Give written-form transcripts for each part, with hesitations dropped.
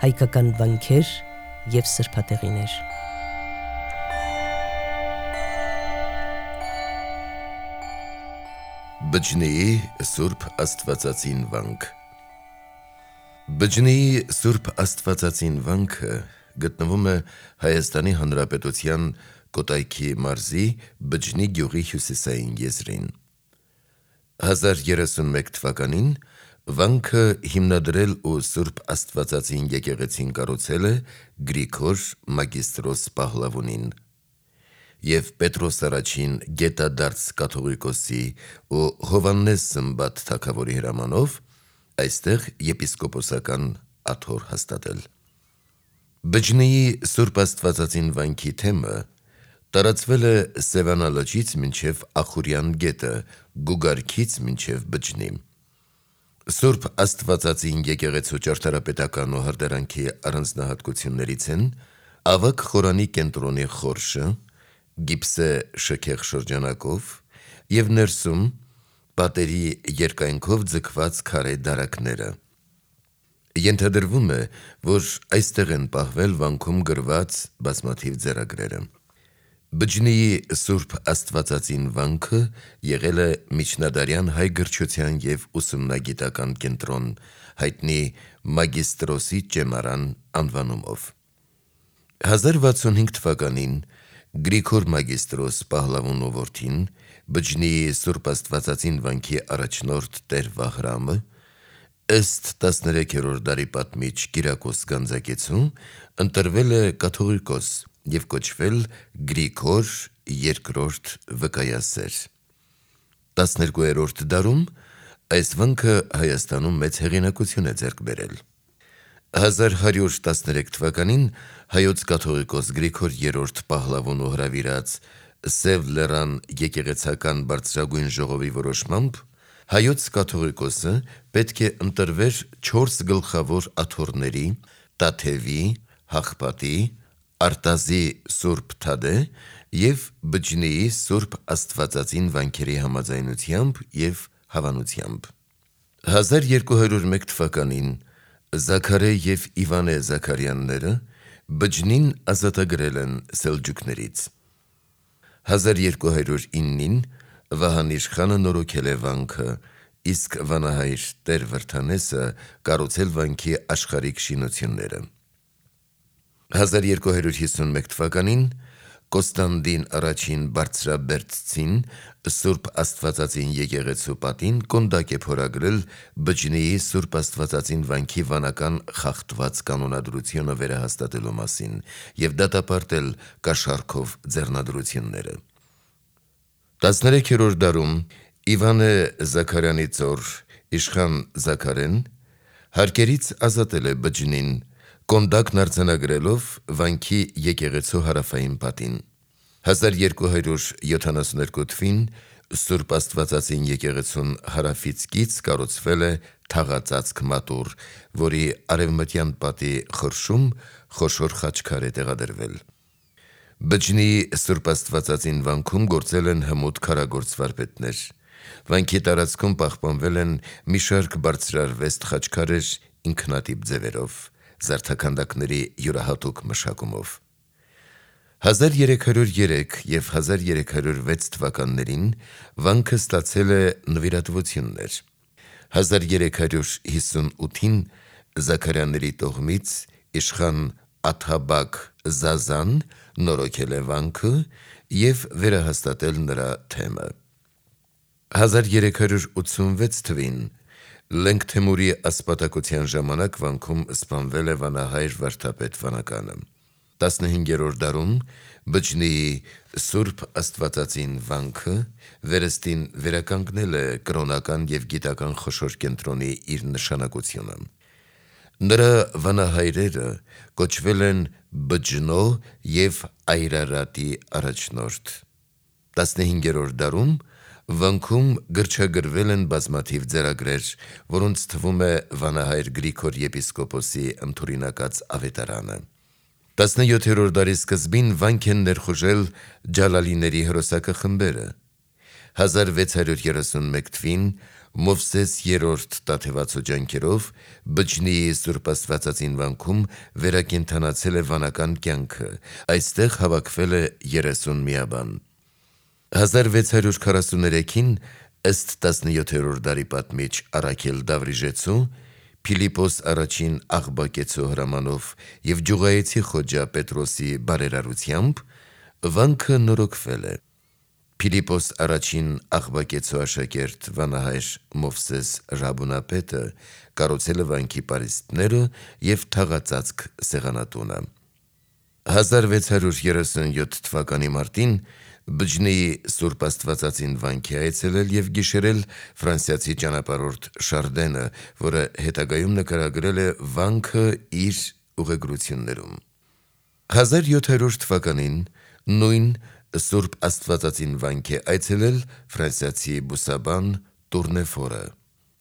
հայկական վանքեր և սրբատեղիներ։ Բջնեի Սուրբ Աստվածածին վանք։ Բջնեի Սուրբ Աստվածածին վանքը գտնվում է Հայաստանի Հանրապետության Կոտայքի մարզի Բջնի գյուղի հյուսիսային եզրին։ 1031 թվականին վանքը հիմնադրել ու Սուրբ Աստվածածին եկեղեցին կառուցել է Գրիգոր Մագիստրոս Պահլավունին և Պետրոս առաջին գետադարձ կաթողիկոսի ու Հովհաննես Սմբատ թագավորի հրամանով այստեղ եպիսկոպոսական աթոռ հաստատել։ Բջնեի Սուրբ Աստվածածին վանքի թեմը տարածվել է Սևանա լճից մինչև Ախուրյան գետը, Գուգարքից մինչև Բջնի։ Սուրբ Աստվածածին եկեղեցու ճարտարապետական ու հարդարանքի առանձնահատկություններից են ավագ խորանի կենտրոնի խորշը, գիպսե շքեղ շրջանակով և ներսում պատերի երկայնքով ձգված քարե դարակները։ Ենթադրվում է, որ այստեղ են պահվել վանքում գրված բազմաթիվ ձեռագրերը։ Բջնեի Սուրբ Աստվածածին վանքը եղել է միջնադարյան հայ գրչության և ուսումնագիտական կենտրոն, հայտնի Մագիստրոսի ճեմարան անվանումով։ 1065 թվականին Գրիգոր Մագիստրոս Պահլավունու որդին, Բջնեի Սուրբ Աստվածածին վանքի առաջնորդ Տեր Վահրամը, ըստ 13-րդ դարի պատմիչ Կիրակոս Գանձակեցու, ընտրվել է կաթողիկոս և կոչվել Գրիգոր II Վկայասեր։ 12-րդ դարում այս վանքը Հայաստանում մեծ հեղինակություն է ձեռք բերել։ 1113 թվականին հայոց կաթողիկոս Գրիգոր III Պահլավունու հրավիրած Սև լեռան եկեղեցական բարձրագույն ժողովի որոշմամբ հայոց կաթողիկոսը պետք է ընտրվեր 4 գլխավոր աթոռների՝ Տաթևի, Հաղպատի, Արտազի Սուրբ Թադէ և Բջնեի Սուրբ Աստվածածին վանքերի համաձայնությամբ և հավանությամբ։ 1201 թվականին Զաքարե և Իվանե Զաքարյանները Բջնին ազատագրել են սելջուկներից։ 1209-ին Վահան իշխանը նորոգել է վանքը, իսկ վանահայր Տեր Վրդանեսը կառուցել վանքի աշխարհիկ շինությունները։ 1251 թվականին Կոստանդին I Բարձրաբերդցին Սուրբ Աստվածածին եկեղեցու պատին կոնդակ է փորագրել Բջնեի Սուրբ Աստվածածին վանքի վանական խախտված կանոնադրությունը վերահաստատելու մասին և դատապարտել կաշառքով ձեռնադրությունները։ 13-րդ դարում Իվանե Զաքարյանի ծոր իշխան Զաքարեն հարկերից ազատել է Բջնին, կոնդակն արձանագրելով վանքի եկեղեցու հարավային պատին։ 1272 թվին Սուրբ Աստվածածին եկեղեցուն հարավից կից կառուցվել է թաղածածկ մատուռ, որի արևմտյան պատի խորշում խոշոր խաչքար է տեղադրվել։ Բջնեի Սուրբ Աստվածածին վանքում գործել են հմուտ քարագործ վարպետներ։ Վանքի տարածքում պահպանվել են մի շարք բարձրարվեստ խաչքարեր ինքնատիպ ձևերով, զարդաքանդակների յուրահատուկ մշակումով։ 1303 և 1306 թվականներին վանքը ստացել է նվիրատվություններ։ 1358-ին Զաքարյանների տոհմից իշխան Աթաբակ Զազան նորոգել է վանքը և վերահաստատել նրա թեմը։ 1386 թվին Լենգ Թեմուրի ասպատակության ժամանակ վանքում սպանվել է վանահայր վարդապետ վանականը։ 15-րդ դարում Բջնեի Սուրբ Աստվածածին վանքը վերստին վերականգնել է կրոնական և գիտական խոշոր կենտրոնի իր նշանակությունը։ Նրա վանահայրերը կոչվել են Բջնո և Այրարատի առաջնորդ։ 15-րդ դարում վանքում գրչագրվել են բազմաթիվ ձեռագրեր, որոնց թվում է վանահայր Գրիգոր եպիսկոպոսի ընդօրինակած ավետարանը։ 17-րդ դարի սկզբին վանք են ներխուժել ջալալիների հրոսակախմբերը։ 1631 թվին Մովսես 3-րդ տաթևացու ջանքերով Բջնիի Սուրբ Աստվածածին վանքում վերակենդանացել է վանական կյանքը, այստեղ հավաքվել է 30 միաբան։ 1643-ին ըստ 17-րդ դարի պատմիչ Առաքել Դավրիժեցու, Փիլիպոս առաջին Աղբակեցու հրամանով և Ջուղայեցի խոջա Պետրոսի բարերարությամբ վանքը նորոգվել է։ Փիլիպոս առաջին Աղբակեցու աշակերտ վանահայր Մովսես Ռաբունապետը կառուցել է վանքի պարիսպները և թաղածածկ սեղանատունը։ 1637 թվականի մարտին Բջնիի Սուրբ Աստվածածին վանքի այցելել և գիշերել ֆրանսիացի ճանապարհորդ Շարդենը, որը հետագայում նկարագրել է վանքը իր ուղեգրություններում։ 1700 թվականին նույն Սուրբ Աստվածածին վանք է այցելել ֆրանսիացի բուսաբան Տուրնեֆորը։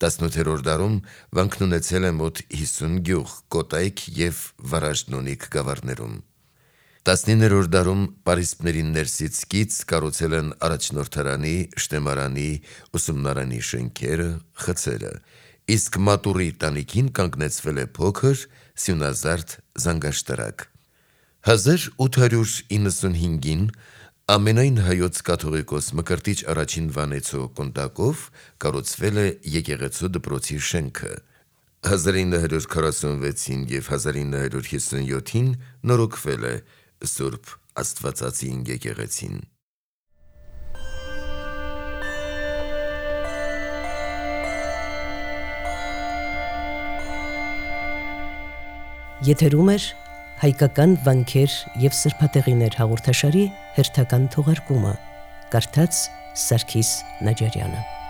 18-րդ դարում վանքն ունեցել է մոտ 50 գյուղ, կոտայք և վարաժդնունիք գավառներում։ 19-րդ դարում պարիսպների ներսից կից կառուցել են առաջնորդարանի, շտեմարանի, ուսումնարանի շենքերը, խցերը, իսկ մատուռի տանիքին կանգնեցվել է փոքր սյունազարդ զանգաշտարակ։ 1895-ին ամենայն հայոց կաթողիկոս Մկրտիչ առաջին Վանեցու կունդակով կառուցվել է եկեղեցու դպրոցի շենքը։ 1946 և 1957-ին նորոգվել է Սուրբ Աստվածածին եկեղեցին։ Եթերում է հայկական վանքեր և սրբատեղիներ հաղորդաշարի հերթական թողարկումը, կարդաց Սարգիս Նաջարյանը։